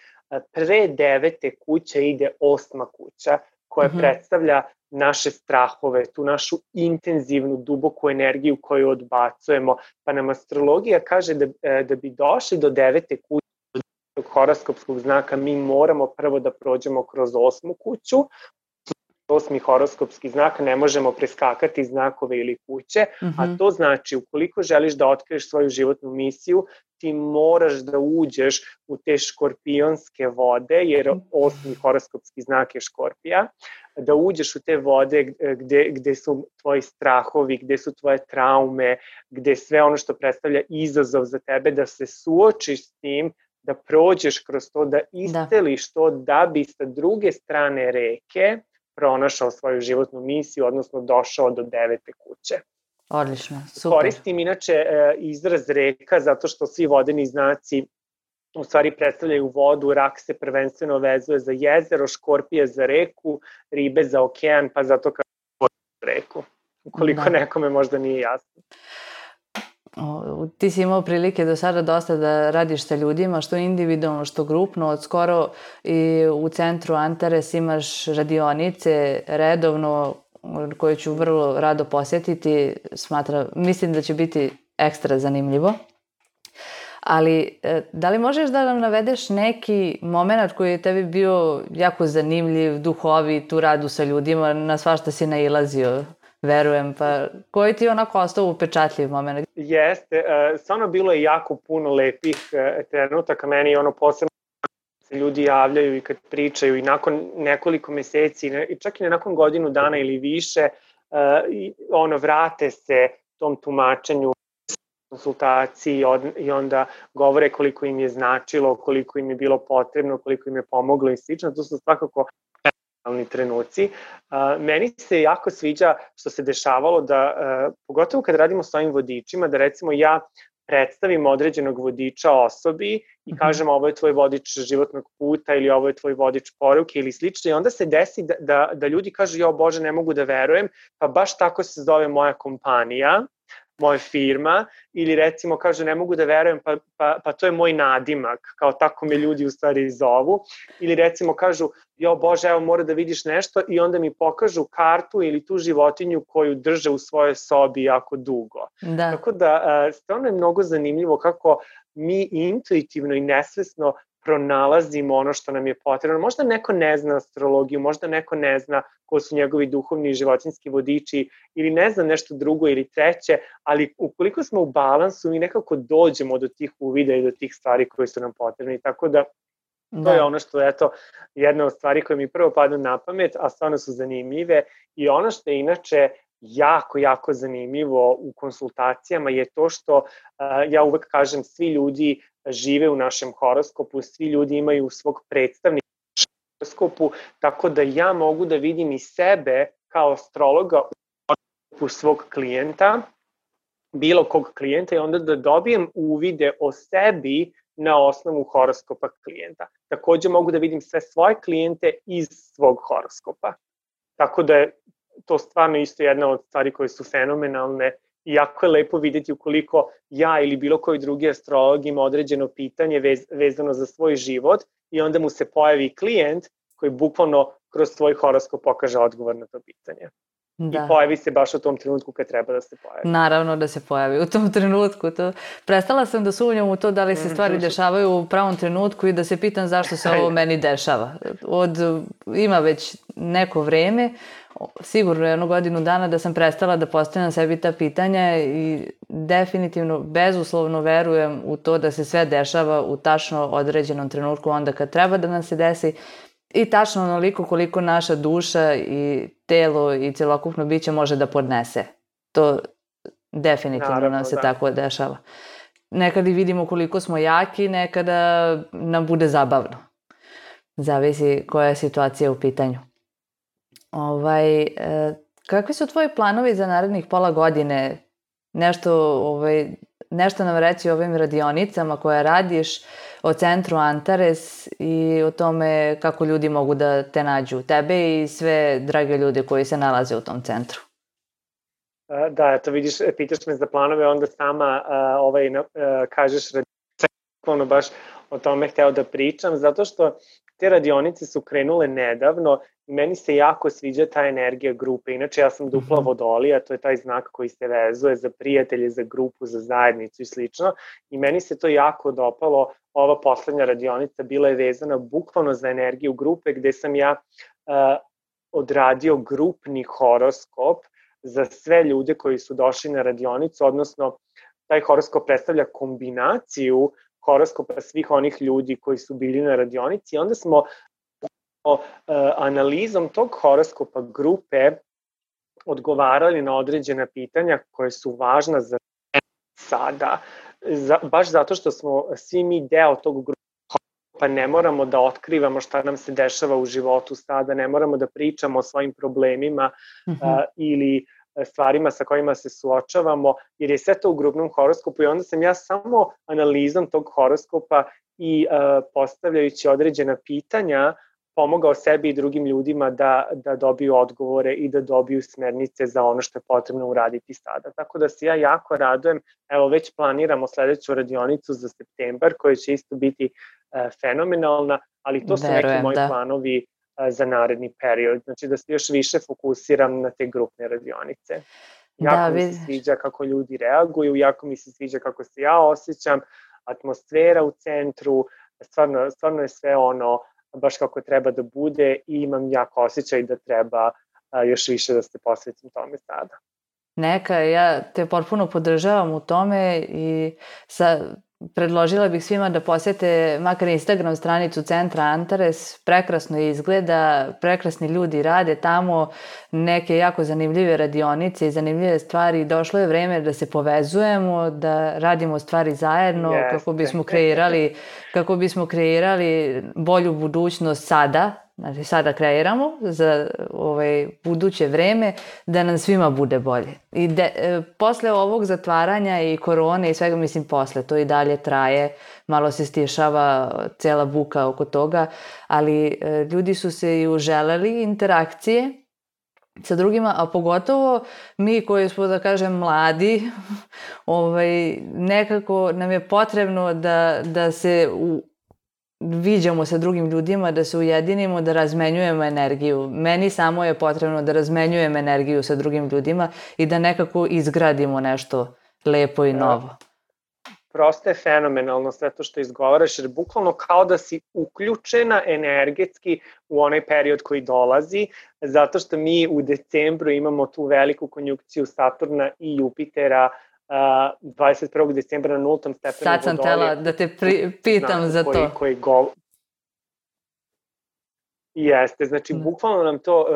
pre 9. kuće ide 8. kuća koja predstavlja naše strahove, tu našu intenzivnu, duboku energiju koju odbacujemo. Pa nam astrologija kaže da bi došli do 9. kuće horoskopskog znaka, mi moramo prvo da prođemo kroz 8. kuću. 8. horoskopski znak, ne možemo preskakati znakove ili kuće, a to znači ukoliko želiš da otkriješ svoju životnu misiju, ti moraš da uđeš u te škorpionske vode, jer 8. horoskopski znak je škorpija, da uđeš u te vode gde su tvoji strahovi, gde su tvoje traume, gde sve ono što predstavlja izazov za tebe, da se suočiš s tim, da prođeš kroz to, da isceliš to, da bi sa druge strane reke pronašao svoju životnu misiju, odnosno došao do 9. kuće. Odlično, super. Koristim inače izraz reka zato što svi vodeni znaci u stvari predstavljaju vodu, rak se prvenstveno vezuje za jezero, škorpije za reku, ribe za okean, pa zato kao reku. Ukoliko nekome možda nije jasno. Ti si imao prilike do sada dosta da radiš sa ljudima, što individualno, što grupno. Od skoro i u centru Antares imaš radionice redovno koje ću vrlo rado posjetiti. Mislim da će biti ekstra zanimljivo. Ali da li možeš da nam navedeš neki moment koji je tebi bio jako zanimljiv, duhovit, u radu sa ljudima, na svašta si nailazio? verujem. Pa koji ti je onako ostao upečatljiv moment? Jeste, stvarno bilo je jako puno lepih trenutaka, meni ono posebno se ljudi javljaju i kad pričaju i nakon nekoliko meseci, čak i nakon godinu dana ili više, vrate se tom tumačenju, konsultaciji i onda govore koliko im je značilo, koliko im je bilo potrebno, koliko im je pomoglo i slično. To su svakako fenomenalni trenuci. Meni se jako sviđa što se dešavalo da, pogotovo kad radimo s ovim vodičima, da recimo ja predstavim određenog vodiča osobi i kažem ovo je tvoj vodič životnog puta ili ovo je tvoj vodič poruke ili slično i onda se desi da ljudi kažu jo Bože ne mogu da verujem, pa baš tako se zove moja kompanija, moja firma, ili recimo kažu ne mogu da verujem, pa to je moj nadimak, kao tako me ljudi u stvari zovu, ili recimo kažu jo Bože evo mora da vidiš nešto i onda mi pokažu kartu ili tu životinju koju drže u svojoj sobi jako dugo. Da. Tako da stvarno je mnogo zanimljivo kako mi intuitivno i nesvesno pronalazimo ono što nam je potrebno. Možda neko ne zna astrologiju, možda neko ne zna ko su njegovi duhovni i životinjski vodiči ili ne zna nešto drugo ili treće, ali ukoliko smo u balansu mi nekako dođemo do tih uvida i do tih stvari koje su nam potrebne. Tako da to je ono što je jedna od stvari koje mi prvo padnu na pamet, a stvarno su zanimljive i ono što je inače jako zanimljivo u konsultacijama je to što ja uvek kažem svi ljudi žive u našem horoskopu, svi ljudi imaju svog predstavnika u horoskopu, tako da ja mogu da vidim i sebe kao astrologa u horoskopu svog klijenta, bilo kog klijenta i onda da dobijem uvide o sebi na osnovu horoskopa klijenta. Takođe mogu da vidim sve svoje klijente iz svog horoskopa. Tako da je to stvarno isto jedna od stvari koje su fenomenalne i jako je lepo videti ukoliko ja ili bilo koji drugi astrolog ima određeno pitanje vezano za svoj život i onda mu se pojavi klijent koji bukvalno kroz svoj horoskop pokaže odgovor na to pitanje. Da. I pojavi se baš u tom trenutku kad treba da se pojavi. Naravno da se pojavi u tom trenutku. Prestala sam da sumnjam u to da li se stvari dešavaju u pravom trenutku i da se pitam zašto se ovo meni dešava. Ima već neko vreme, sigurno jednu godinu dana da sam prestala da postavljam sebi ta pitanja i definitivno, bezuslovno verujem u to da se sve dešava u tačno određenom trenutku onda kad treba da nam se desi i tačno onoliko koliko naša duša i telo i celokupno biće može da podnese. To definitivno nam se tako dešava. Nekad i vidimo koliko smo jaki, nekada nam bude zabavno. Zavisi koja je situacija u pitanju. Kakvi su tvoji planovi za narednih pola godine? Nešto nam reći o ovim radionicama koje radiš, o centru Antares i o tome kako ljudi mogu da te nađu, tebe i sve drage ljude koji se nalaze u tom centru. Da, eto vidiš, pitaš me za planove, onda sama kažeš radionice, baš o tome hteo da pričam, zato što te radionice su krenule nedavno i meni se jako sviđa ta energija grupe. Inače, ja sam dupla vodolija, to je taj znak koji se vezuje za prijatelje, za grupu, za zajednicu i slično. I meni se to jako dopalo. Ova poslednja radionica bila je vezana bukvalno za energiju grupe, gde sam ja odradio grupni horoskop za sve ljude koji su došli na radionicu, odnosno taj horoskop predstavlja kombinaciju horoskopa svih onih ljudi koji su bili na radionici i onda smo analizom tog horoskopa grupe odgovarali na određena pitanja koje su važna za sada, baš zato što smo svi mi deo tog horoskopa, ne moramo da otkrivamo šta nam se dešava u životu sada, ne moramo da pričamo o svojim problemima ili stvarima sa kojima se suočavamo, jer je sve to u grupnom horoskopu i onda sam ja samo analizom tog horoskopa i postavljajući određena pitanja pomogao sebi i drugim ljudima da dobiju odgovore i da dobiju smernice za ono što je potrebno uraditi sada. Tako da se ja jako radujem, evo već planiramo sledeću radionicu za septembar koja će isto biti fenomenalna, ali to su neki moji planovi za naredni period, znači da se još više fokusiram na te grupne radionice. Jako mi se sviđa kako ljudi reaguju, jako mi se sviđa kako se ja osjećam, atmosfera u centru, stvarno je sve ono baš kako treba da bude i imam jako osjećaj da treba još više da se posvetim tome sada. Neka, ja te potpuno podržavam u tome i predložila bih svima da posete makar Instagram stranicu Centra Antares, prekrasno izgleda, prekrasni ljudi rade tamo, neke jako zanimljive radionice i zanimljive stvari. Došlo je vreme da se povezujemo, da radimo stvari zajedno kako bismo kreirali bolju budućnost sada. Znači, sada kreiramo za buduće vreme da nam svima bude bolje. I posle ovog zatvaranja i korone i svega, mislim, posle, to i dalje traje, malo se stišava cela buka oko toga, ali ljudi su se i uželeli interakcije sa drugima, a pogotovo mi koji smo, da kažem, mladi, nekako nam je potrebno da se viđamo sa drugim ljudima, da se ujedinimo, da razmenjujemo energiju. Meni samo je potrebno da razmenjujem energiju sa drugim ljudima i da nekako izgradimo nešto lepo i novo. Prosto je fenomenalno sve to što izgovaraš, jer bukvalno kao da si uključena energetski u onaj period koji dolazi, zato što mi u decembru imamo tu veliku konjunkciju Saturna i Jupitera, 21. decembra na 0. stepenu Vodolije. Sad sam tela da te pitam za to. Jeste, znači bukvalno nam to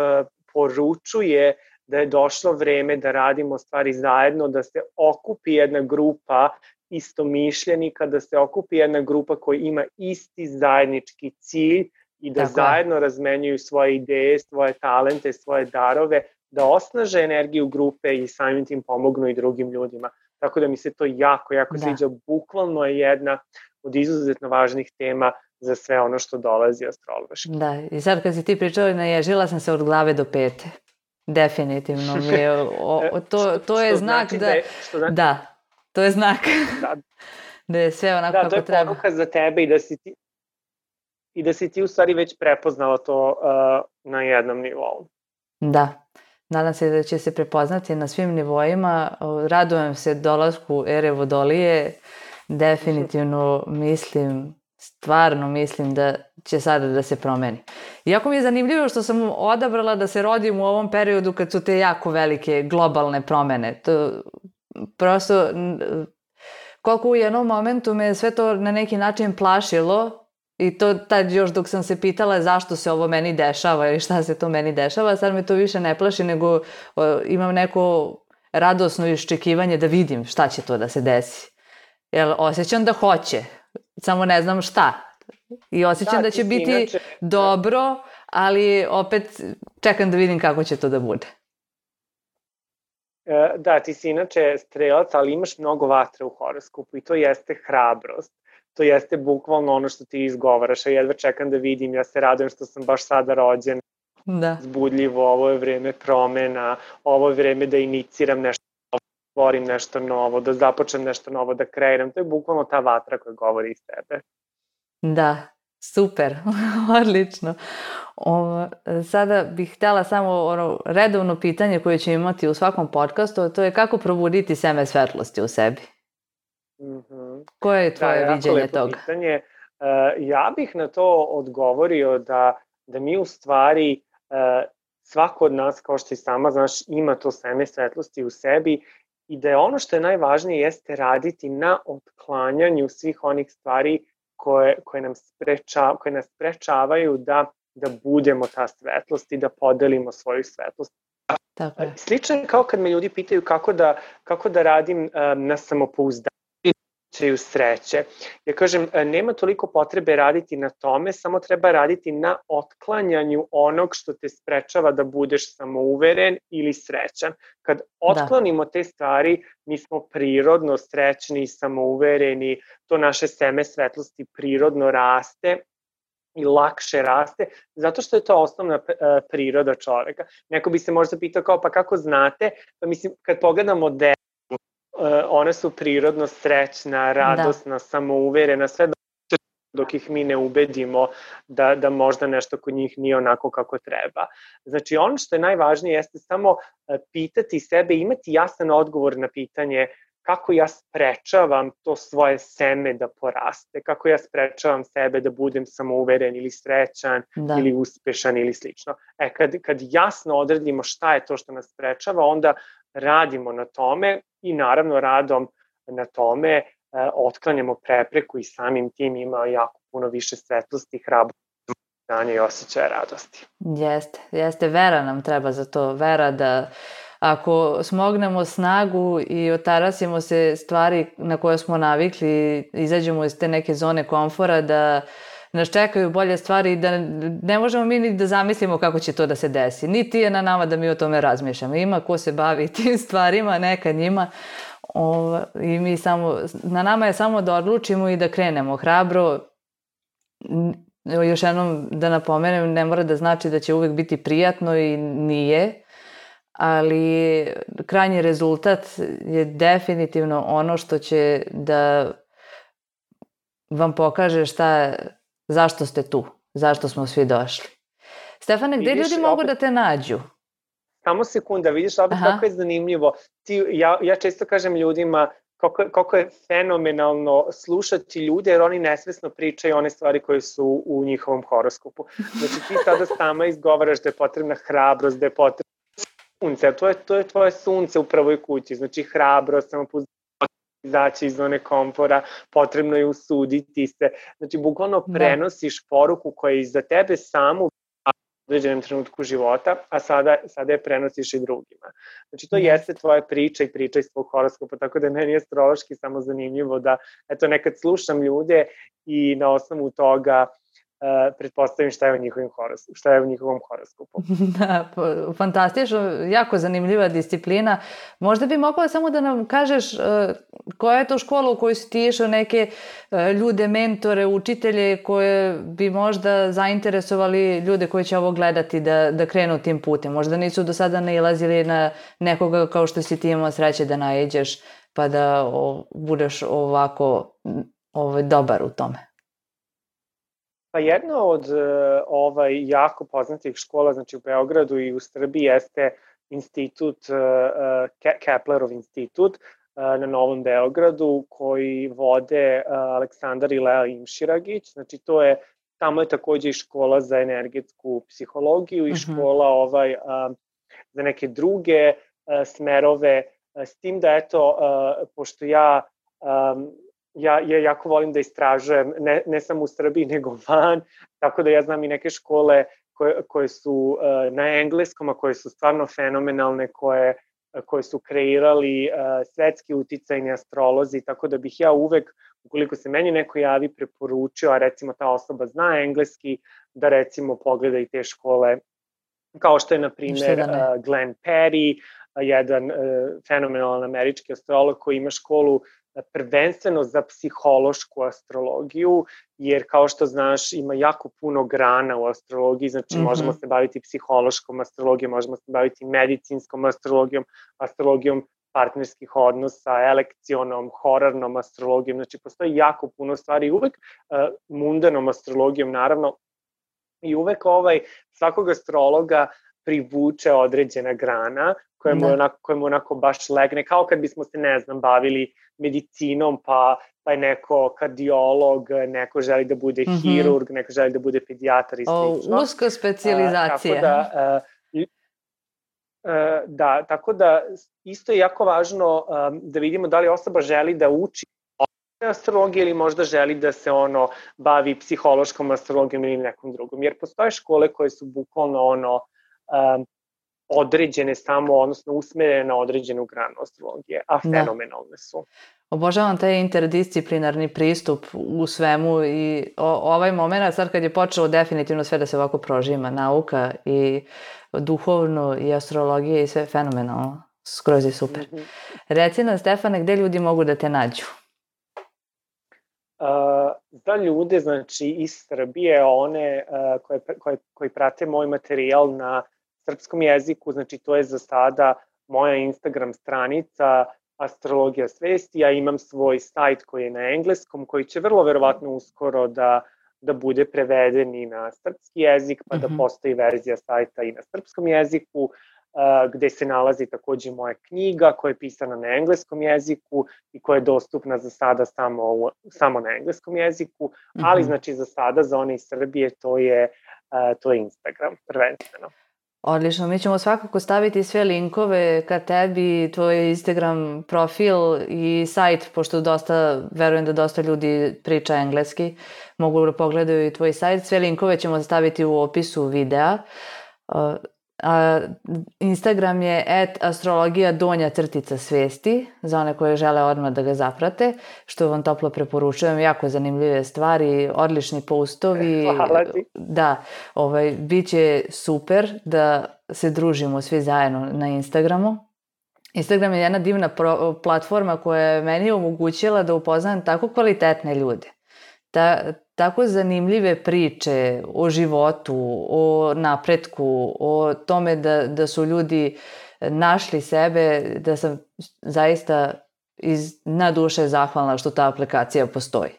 poručuje da je došlo vreme da radimo stvari zajedno, da se okupi jedna grupa istomišljenika, da se okupi jedna grupa koja ima isti zajednički cilj i da zajedno razmenjuju svoje ideje, svoje talente, svoje darove, da osnaže energiju grupe i samim tim pomognu i drugim ljudima. Tako da mi se to jako sviđa. Bukvalno je jedna od izuzetno važnih tema za sve ono što dolazi astrološki. Da, i sad kad si ti pričao, naježila sam se od glave do pete. Definitivno mi je, to je znak da, to je znak da je sve onako kako treba. Da, to je poruka za tebe i da si ti u stvari već prepoznala to na jednom nivou. Da. Nadam se da će se prepoznati na svim nivoima. Radujem se dolasku ere Vodolije. Definitivno stvarno mislim da će sada da se promeni. Iako mi je zanimljivo što sam odabrala da se rodim u ovom periodu kad su te jako velike globalne promene. Prosto, koliko u jednom momentu me sve to na neki način plašilo, i to tad još dok sam se pitala zašto se ovo meni dešava ili šta se to meni dešava, sad me to više ne plaši, nego imam neko radosno iščekivanje da vidim šta će to da se desi. Jer osjećam da hoće, samo ne znam šta. I osjećam da će biti dobro, ali opet čekam da vidim kako će to da bude. Da, ti si inače strelac, ali imaš mnogo vatre u horoskopu i to jeste hrabrost. To jeste bukvalno ono što ti izgovaraš, a jedva čekam da vidim, ja se radujem što sam baš sada rođena, zbudljivo, ovo je vreme promena, ovo je vreme da iniciram nešto novo, da stvorim nešto novo, da započnem nešto novo, da kreiram, to je bukvalno ta vatra koja govori iz tebe. Da, super, odlično. Sada bih htjela samo redovno pitanje koje ću imati u svakom podcastu, to je kako probuditi seme svetlosti u sebi? Koje je tvoje viđenje toga? Pitanje. Ja bih na to odgovorio da mi u stvari, svako od nas, kao što i sama znaš, ima to seme svetlosti u sebi i da je ono što je najvažnije jeste raditi na otklanjanju svih onih stvari koje nas sprečavaju da budemo ta svetlost i da podelimo svoju svetlost. Slično je kao kad me ljudi pitaju kako da radim na samopouzdanju sreće. Ja kažem, nema toliko potrebe raditi na tome, samo treba raditi na otklanjanju onog što te sprečava da budeš samouveren ili srećan. Kad otklonimo te stvari, mi smo prirodno srećni i samouvereni, to naše seme svetlosti prirodno raste i lakše raste, zato što je to osnovna priroda čoveka. Neko bi se možda pitao kao, pa kako znate? Pa mislim, kad pogledamo one su prirodno srećna, radosna, samouverena, sve dok ih mi ne ubedimo da možda nešto kod njih nije onako kako treba. Znači, ono što je najvažnije jeste samo pitati sebe, imati jasan odgovor na pitanje kako ja sprečavam to svoje seme da poraste, kako ja sprečavam sebe da budem samouveren ili srećan ili uspešan ili slično. Kad jasno odredimo šta je to što nas sprečava, onda radimo na tome i naravno radom na tome otklanjamo prepreku i samim tim ima jako puno više svetlosti, hrabrosti, znanja i osjećaja radosti. Jeste, vera nam treba za to, vera da ako smognemo snagu i otarasimo se stvari na koje smo navikli, izađemo iz te neke zone komfora, da nas čekaju bolje stvari i da ne možemo mi ni da zamislimo kako će to da se desi. Niti je na nama da mi o tome razmišljamo. Ima ko se bavi tim stvarima, neka njima. I mi samo, na nama je samo da odlučimo i da krenemo hrabro. Još jednom da napomenem, ne mora da znači da će uvek biti prijatno i nije, ali krajnji rezultat je definitivno ono što će da vam pokaže zašto ste tu, zašto smo svi došli. Stefane, gde ljudi mogu da te nađu? Samo sekunda, vidiš opet kako je zanimljivo. Ja često kažem ljudima koliko je fenomenalno slušati ljude, jer oni nesvesno pričaju one stvari koje su u njihovom horoskopu. Znači ti sada sama izgovaraš da je potrebna hrabrost, da je potrebna sunce, a to je tvoje sunce u prvoj kući, znači hrabrost, samopouzdanje, izaći iz zone komfora, potrebno je usuditi se, znači bukvalno prenosiš poruku koja je za tebe samu u određenom trenutku života, a sada je prenosiš i drugima. Znači to jeste tvoja priča i priča iz tvojeg horoskopa, tako da meni je astrološki samo zanimljivo da, eto, nekad slušam ljude i na osnovu toga pretpostavim šta je u njihovom horoskopu. Da, fantastično, jako zanimljiva disciplina. Možda bi mogla samo da nam kažeš koja je to škola u kojoj si ti išao, neke ljude, mentore, učitelje koje bi možda zainteresovali ljude koji će ovo gledati da krenu tim putem. Možda nisu do sada nailazili na nekoga kao što si ti imao sreće da naiđeš pa da budeš ovako dobar u tome. Pa jedna od jako poznatih škola, znači u Beogradu i u Srbiji, jeste institut, Keplerov institut na Novom Beogradu, koji vode Aleksandar i Lea Imširagić. Znači tamo je takođe i škola za energetsku psihologiju i škola za neke druge smerove, s tim da eto, pošto ja jako volim da istražujem, ne samo u Srbiji, nego van, tako da ja znam i neke škole koje su na engleskom, a koje su stvarno fenomenalne, koje su kreirali svetski uticajni astrolozi, tako da bih ja uvek, ukoliko se meni neko javi, preporučio, a recimo ta osoba zna engleski, da recimo pogleda i te škole, kao što je, na primjer, Glenn Perry, jedan fenomenalan američki astrolog koji ima školu prvenstveno za psihološku astrologiju, jer kao što znaš ima jako puno grana u astrologiji, znači možemo se baviti psihološkom astrologijom, možemo se baviti medicinskom astrologijom, astrologijom partnerskih odnosa, elekcionom, horarnom astrologijom, znači postoji jako puno stvari, uvek mundanom astrologijom naravno, i uvek svakog astrologa privuče određena grana koja mu onako baš legne, kao kad bismo se, ne znam, bavili medicinom, pa je neko kardiolog, neko želi da bude hirurg, neko želi da bude pedijatar i slično. Uska specijalizacija. Tako da isto je jako važno da vidimo da li osoba želi da uči astrologije ili možda želi da se bavi psihološkom astrologijom ili nekom drugom. Jer postoje škole koje su bukvalno određene samo, odnosno usmerene na određenu granu astrologije, a fenomenalne su. Obožavam taj interdisciplinarni pristup u svemu i ovaj moment, sad kad je počelo definitivno sve da se ovako prožima, nauka i duhovno i astrologija i sve fenomenalno, skroz je super. Reci nam, Stefane, gde ljudi mogu da te nađu? Za ljude, znači iz Srbije, one koji prate moj materijal na srpskom jeziku, znači to je za sada moja Instagram stranica Astrologija svesti, ja imam svoj sajt koji je na engleskom, koji će vrlo verovatno uskoro da bude preveden i na srpski jezik, pa da postoji verzija sajta i na srpskom jeziku. gde se nalazi takođe moja knjiga koja je pisana na engleskom jeziku i koja je dostupna za sada samo na engleskom jeziku, ali znači za sada za one iz Srbije to je Instagram prvenstveno. Odlično, mi ćemo svakako staviti sve linkove ka tebi, tvoj Instagram profil i sajt, pošto verujem da dosta ljudi priča engleski, mogu da pogledaju i tvoj sajt. Sve linkove ćemo staviti u opisu videa. Instagram je @astrologija_svesti za one koje žele odmah da ga zaprate, što vam toplo preporučujem, jako zanimljive stvari, odlični postovi. Hvala ti. Da, biće super da se družimo svi zajedno na Instagramu. Instagram je jedna divna platforma koja je meni omogućila da upoznam tako kvalitetne ljude. Tako zanimljive priče o životu, o napretku, o tome da su ljudi našli sebe, da sam zaista na duše zahvalna što ta aplikacija postoji.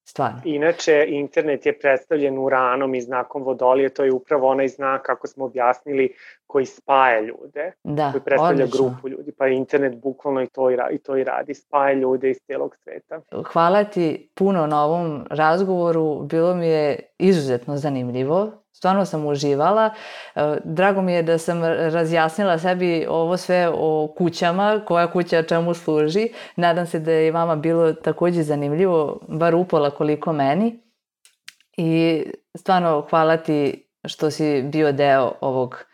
Stvarno. Inače, internet je predstavljen uranom i znakom vodolije, to je upravo onaj znak, kako smo objasnili, koji spaja ljude, koji predstavlja grupu ljudi, pa je internet bukvalno i to i radi, spaja ljude iz celog sveta. Hvala ti puno na ovom razgovoru, bilo mi je izuzetno zanimljivo, stvarno sam uživala, drago mi je da sam razjasnila sebi ovo sve o kućama, koja kuća čemu služi, nadam se da je i vama bilo takođe zanimljivo, bar upola koliko meni i stvarno hvala ti što si bio deo ovog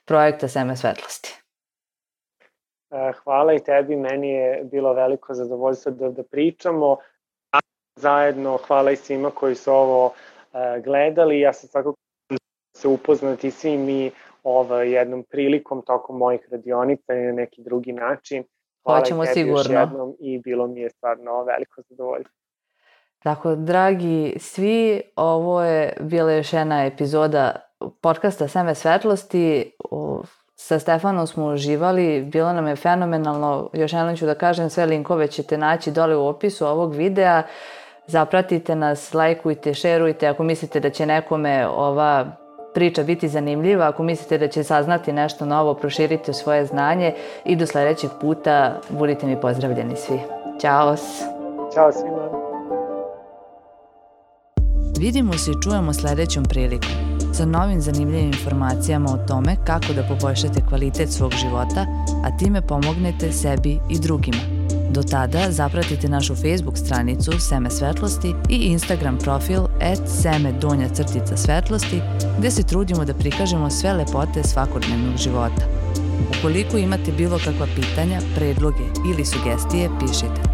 projekta Seme svetlosti. Hvala i tebi, meni je bilo veliko zadovoljstvo da pričamo. Zajedno hvala i svima koji su ovo gledali. Ja sam svakako se upoznati svi mi jednom prilikom tokom mojih radionica i na neki drugi način. Hvala i tebi sigurno. Još jednom i bilo mi je stvarno veliko zadovoljstvo. Tako, dragi svi, ovo je bila još jedna epizoda podcasta Seme svetlosti. Sa Stefanom smo uživali, bilo nam je fenomenalno. Još jednom ću da kažem, sve linkove ćete naći dole u opisu ovog videa. Zapratite nas, lajkujte, šerujte ako mislite da će nekome ova priča biti zanimljiva, ako mislite da će saznati nešto novo, proširite svoje znanje i do sledećeg puta budite mi pozdravljeni svi. Ćao! Ćao svima! Vidimo se i čujemo sledećom prilikom sa novim zanimljivim informacijama o tome kako da poboljšate kvalitet svog života, a time pomognete sebi i drugima. Do tada zapratite našu Facebook stranicu Seme svetlosti i Instagram profil @seme_svetlosti gde se trudimo da prikažemo sve lepote svakodnevnog života. Ukoliko imate bilo kakva pitanja, predloge ili sugestije, pišite.